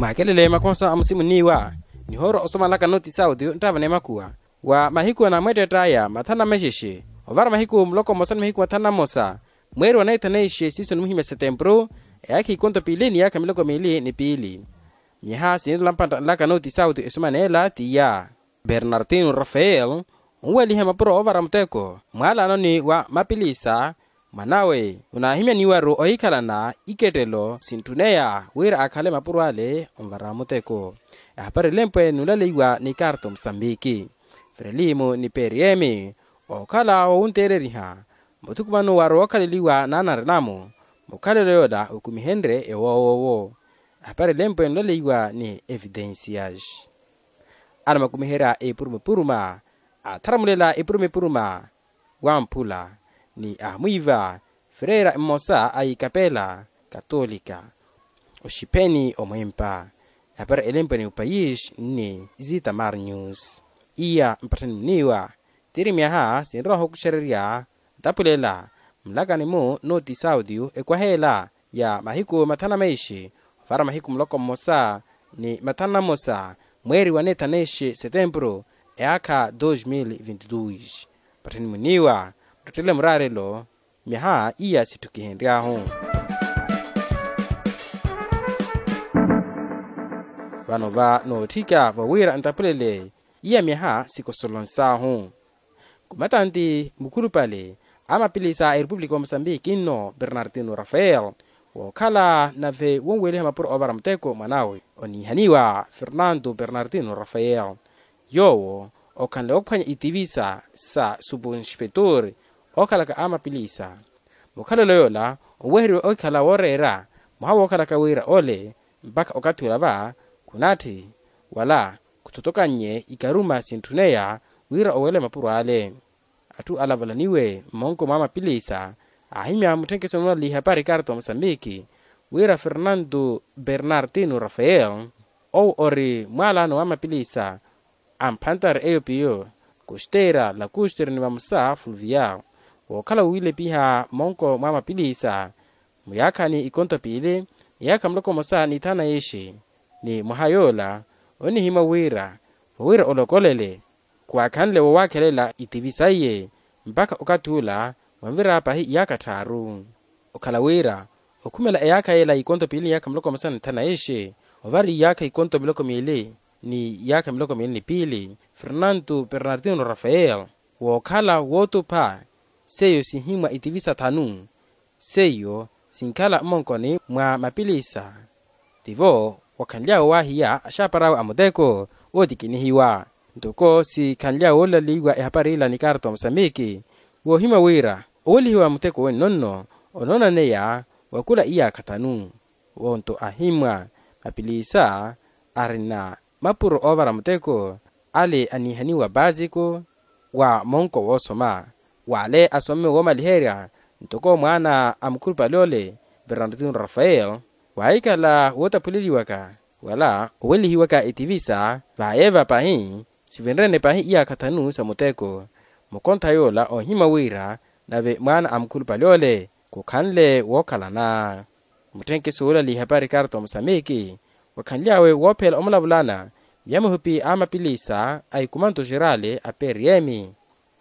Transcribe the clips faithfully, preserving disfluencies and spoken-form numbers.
Mwakelele makosa a musimu niiwa nihooro osomalaka noti sauti nttava n'emakuwa wa mahiku anamweettett'aya mathanu na mexexe ovara mahiku muloko mmosa ni mahiku mathanu na mmosa mweeri wa neetha neexe siiso nimuhimya setempuru eyaakha ikonto piili ni yaakha miloko miili ni piili. Myaha sinirela mpattanlaka noti sauti esumaneela t'iya. Bernartino rafael onweliha mapuro oovara muteko mwaalanoni wa mapilisa. Mwanawe onaahimyaniwaru ohikhalana ikettelo sintthuneya wira akhale mapuro ale onvara muteko. Ehapari elempwe nuulaleiwa ni karto musambiki frelimo ni periemi okhala wowunteereriha muthukumano waru wookhaleliwa naanarinamu mukhalelo yoola okumihenrye ewoowowo. Ehapari elempwe nuulaleiwa ni evidencias anamakumiherya epuruma-epuruma atharamulela epuruma-epuruma wamphula ni amwiiva freira mmosa a ikapela katolika oxipheni omwempa. Ehapari elempwe ni upayis ni zitamar news iya mpatthani muniiwa tiri myaha sinrowa ohokuxererya ntapulela mlakani-mu noti sauti ekwaheela ya mahiku mathanu na maishi ovara mahiku muloko mmosa ni mathanu na mmosa mweeri wa neetha neexe setempuru eyaakha dos mil vinti dos. Pattheni muniiwa muttettele muraarelo myaha iya sitthukihenry'ahu. Vano va nootthika vawira ntapulele iya myaha sikosolons'ahu. Kumatanti mukhulupale a mapilisa a erepublika wa mosambiki nno bernardino rafael wookhala nave wonweliha mapuro oovara muteko mwanawe oniihaniwa fernando bernardino rafael yoowo okhanle woophwanya itivisa sa subunspetor ookhalaka a mapilisa. Mukhalelo yoola onweheriwe ohikhala wooreera mwaha wookhalaka wira ole mpakha okathi ola va khunatthi wala khuthotokannye ikaruma sintthuneya wira owele mapuro ale. Atthu alavalaniwe mmonko mwa mapilisa aahimya mutthenkeso nuulaliha pari karto mosambiki wira fernando bernardino rafael owo ori mwaalano wa mapilisa a mphantari eyo piyo kustera lakustera ni vamosa fluvial wookhala wowilepiha mmonko mwa mapilisa muyaakhani ikonto piili iyaakha muloko mmosa ni ithana yixi. Ni mwaha yoola onihimwa wira wawira olokolele khuwaakhanle wowaakhelela itivisa iye mpakha okathi ula wanvira pahi iyaakha tthaaru. Okhala wira okhumela eyaakha yeela ikonto piili ni iyaakha muloko mmosa ni ithana yixi ovara iyaakha ikonto miloko miili ni iyaakha miloko miili ni piili fernando bernardino rafael wookhala wootupha seiyo sihimwa itivisa thanu seiyo sinkhala mmonkoni mwa mapilisa. Tivo wakhanly'awe waahiya axaapar'awe a muteko ootikinihiwa ntoko sikhanly'awe woolaleiwa ehapari ila ni karto mosambiki woohimya wira owelihiwa muteko wenno nno onoonaneya wa khula iyaakha thanu. Wonto ahimwa mapilisa arina mapuro oovara muteko ale aniihaniwa baasiko wa monko woosoma wale asomme woomaliherya ntoko mwaana a mukhulupale ole bernardino rafael waahikhala wootaphuleliwaka wala owelihiwaka itivisa vaayeva pahi sivinrene pahi iyaakha thanu sa muteko. Mukontha yoola oohimya wira nave mwaana a mukhulupale ole khukhanle wookhalana. Mutthenkeso woolaliha pari karto mosambiki wakhanly'awe woophela omulavulana vya muhipi a mapilisa a ikumanto xerale a prm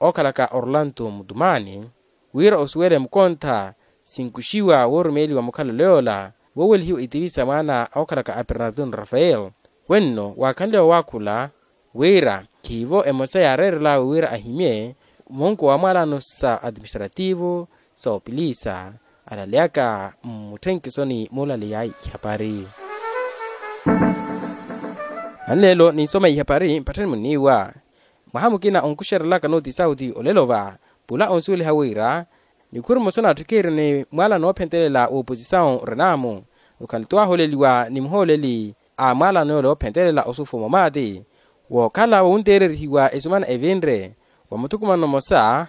ookhalaka orlando mutumani wira osuwele mukontha sinkuxiwa woorumeeliwa mukhalelo yoola woowelihiwa itivisa mwaana ookhalaka a bernardino rafael wenno waakhanly'awe waakhula wira khiivo emosa yaareerel'awe wira ahimye munku wa mwaalano sa administrativo sa opilisa alaleyaka mmutthenkhesoni muulaleya ihapari. Nanleelo ninsoma ihapari mpatthani muniiwa mwaha mukina onkuxerelaka noti sauti olelo va pula onsuweliha wira nikhuru mmosa n'atthu kiiri ni mwaalano woophentelela wooposisawu renamu okhanle-tho waahooleliwa ni muhooleli a mwaalano yoola woophentelela osufumo maati wookhala wowunteererihiwa esumana evinre wa muthukumano mmosa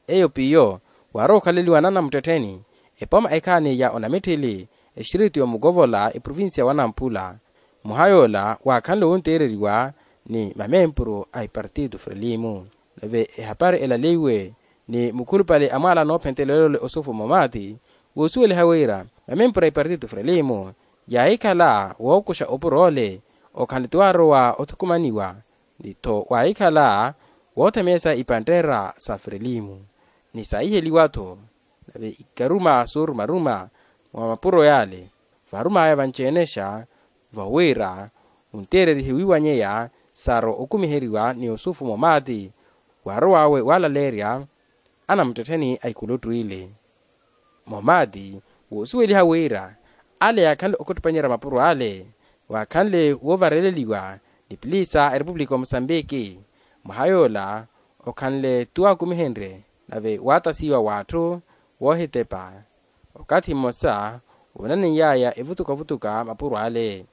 eyo piyo waarowa okhaleliwa nanamuttettheni epoma ekhaani ya onamitthili extiritu ya omukovola eprovincia wa nampula. Mwaha yoola waakhanle wowunteereriwa ni mamempuru a ipartito frelimo nave ehapari elaleiwe ni mukhulupale a mwaala noophentelela ole osufumo maati woosuweliha wira mamempuru a ipartito frelimo Yaahikhala wookuxa opuro ole okhanle ti waarowa othukumaniwa, ni-tho waahikhala woothemeesa ipantteera sa frelimu ni saahiheliwa-tho. Nave ikaruma soorumaruma mwa mapuro yaale vaarumaya vanci-enexa, vawira onteererihe wiiwanyeya saro okumiheriwa ni yusufu momaati, waarow'awe waalaleerya anamuttettheni a ikuluttw'ile. Momaati woosuweliha wira ale yaakhanle okhuttupanyerya mapuro ale, waakhanle woovareleliwa ni piliisa a erepupulika omosambiki. Mwaha yoola okhanle ti waakumihenrye nave waatasiwa w'atthu woohitepa. Okathi mmosa woonaneiy'aya evutukavutuka mapuro ale.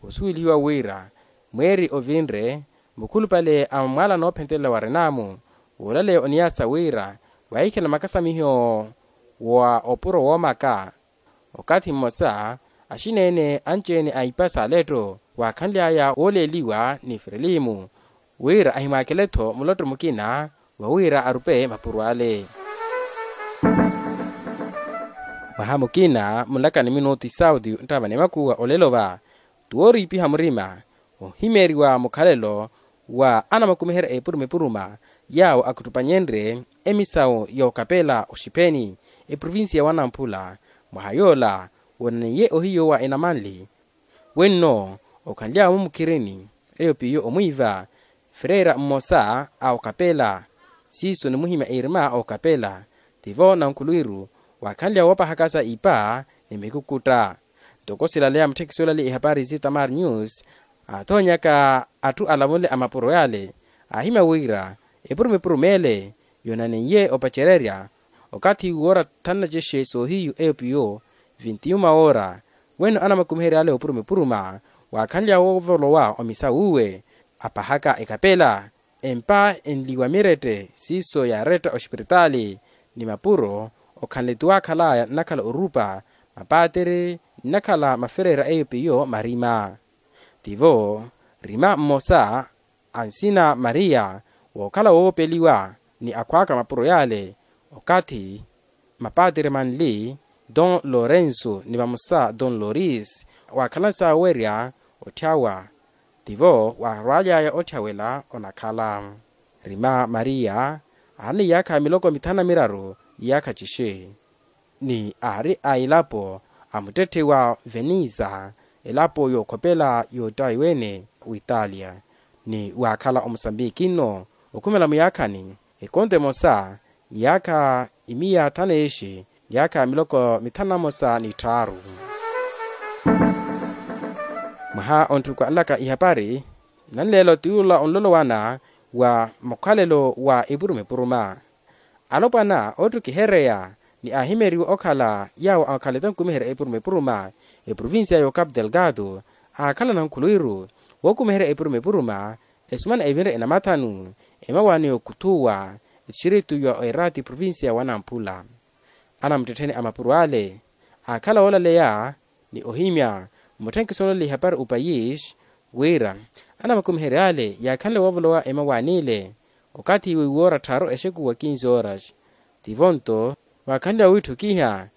Osuwelihiwa wira mweeri ovinre mukhulupale a mwala noophentelela wa renamu woolaleya oniyaasa wira waahikhala makasamiho wa opuro woomaka. Okathi mmosa axineene anci-ene a ipa s'aletto waakhanly'aya wooleeliwa ni frelimu wira ahimwaakele-tho mulotto mukina wawira arupe mapuro ale. Mwaha mukina munlaka ni minuti sauti nttava ni makuwa olelo va ti wooriipiha murima ohimeeriwa mukhalelo wa anamakumiherya epuruma epuruma yaawo akhuttupanyerye emisawu yookapela oxipheni eprovincia wa namphula. Mwaha yoola woonaneiye ohiyo wa enamanli wenno okhanly'awe mumukhirini eyo piyo omwiiva freira mmosa a okapela siiso nimuhimya irima okapela tivo nankhulwiru waakhanly'awe woopahakasa ipa ni mikukutta. Ntoko silaleya mutthekisi olaleya ihapari si tamar news aathoonyaka atthu alavonle a mapuro yaale aahimya wira epuruma epuruma ele yoonaneiye opacererya okathi woora thannacexe soohiyu eyo piyo vinti yuma woora. Weno anamakumiherya ale opuruma epuruma waakhanly'awe woovolowa omisawuwe apahaka ekapela empa enliwa mirette siiso yaaretta oxipiritaali ni mapuro okhanle ti waakhalaya nnakhala orupa mapatiri nnakhala maferera eyo piyo marima. Tivo rima mmosa a nsina maria wookhala woopeliwa ni akhw'aka mapuro yaale okathi mapatiri manli don lorenso ni vamosa don loris waakhalansa owerya otthyawa. Tivo waarwaly'aya otthawela onakhala rima maria aari ni yaakha miloko mithanu na miraru iyaakha cixe ni aari a elapo a muttetthe wa venisa elapo yookhopela yootaiwene witalia ni waakhala omosambiki nno okhumela muyaakhani ekonto emosa iyaakha imiya thanu eexi iyaakha miloko mithanu na mosa ni tthaaru. Mwaha ontthuku anlaka ihapari nanleela otiyula onlolowana wa mukhalelo wa epuruma epuruma alopwana oottukihereya ni aahimeriwa okhala yaawo akhalete nkumiherya epuruma epuruma eprovincia y'ocapu delgado aakhala nankhulwiru wookumiherya epuruma epuruma esumana evinre enamathanu emawaani y'okhuthuwa etixiritu ya oerati provincia wa namphula. Anamuttettheni a mapuro ale aakhala woolaleya ni ohimya mutthenkisi onlole ihapari opayis wira anamakumiherya ale yaakhanle woovolowa emawaani ile okathi wiiwoora tthaaru exeku wa kinze horas. Tivo nto waakhanle woowitthukiha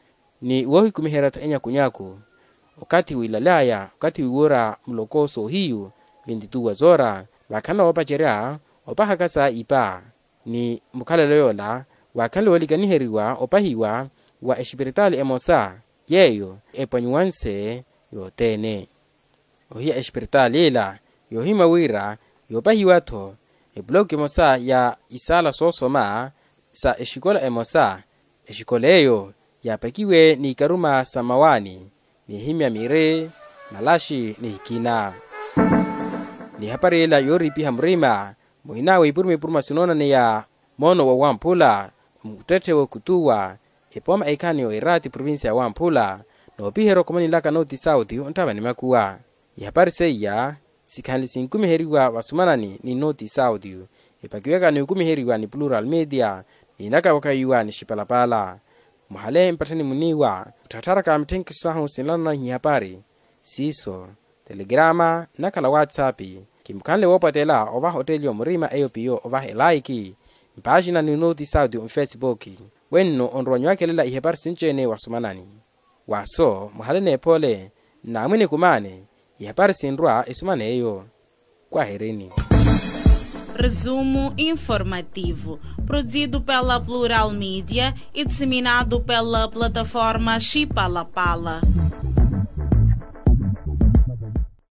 ni woohikumiherya-tho enyakunyaku okathi wiilalaya okathi wiiwoora muloko soohiyu vintituwa zoora vaakhanle woopacerya opahaka sa ipa ni mukhalelo yoola waakhanle woolikaniheriwa opahiwa wa exipiritaali emosa yeeyo epwanyiwanse yothene. Ohiya exipiritaali ila yoohimya wira yoopahiwa-tho epuloko emosa ya isaala soosoma sa exikola emosa exikola eyo yaapakiwe n'ikaruma sa mmawaani nihimya miri malaxi ni ikina. Ni ehapari ila yooriipiha murima muhina w'ipuruma ipuruma sinoonaneya moono wa wamphula muttetthe w'okutuwa epooma ekhani y'oirati provincia ya wamphula noopiherya okhomani nlaka notisauti onttava ni makuwa. Ihapari seiya sikhanle sinkumiheriwa vasumanani ni notisauti epakiwaka n'ukumiheriwa ni plural media n'inakavakahiwa ni xipalapala. Muhale mpatthani muniiwa mutthaattharaka mitthenkiso sahu sinlanana ihapari siiso telegrama nnakhala whatsapp. Kimukhanle woopwatela ovaha otteliwa murima eyo piyo ovaha elaiki mpaaxina ni notisauti onfesipuki wenno onrowa nyuwakhelela ihapari sinci-ene wasumanani. Waaso muhale n'ephole Naamwini kumaani, ihapari sinrwa esuma n'eyo. Kwaherini. Resumo informativo, produzido pela Plural Media e disseminado pela plataforma Chipalapala.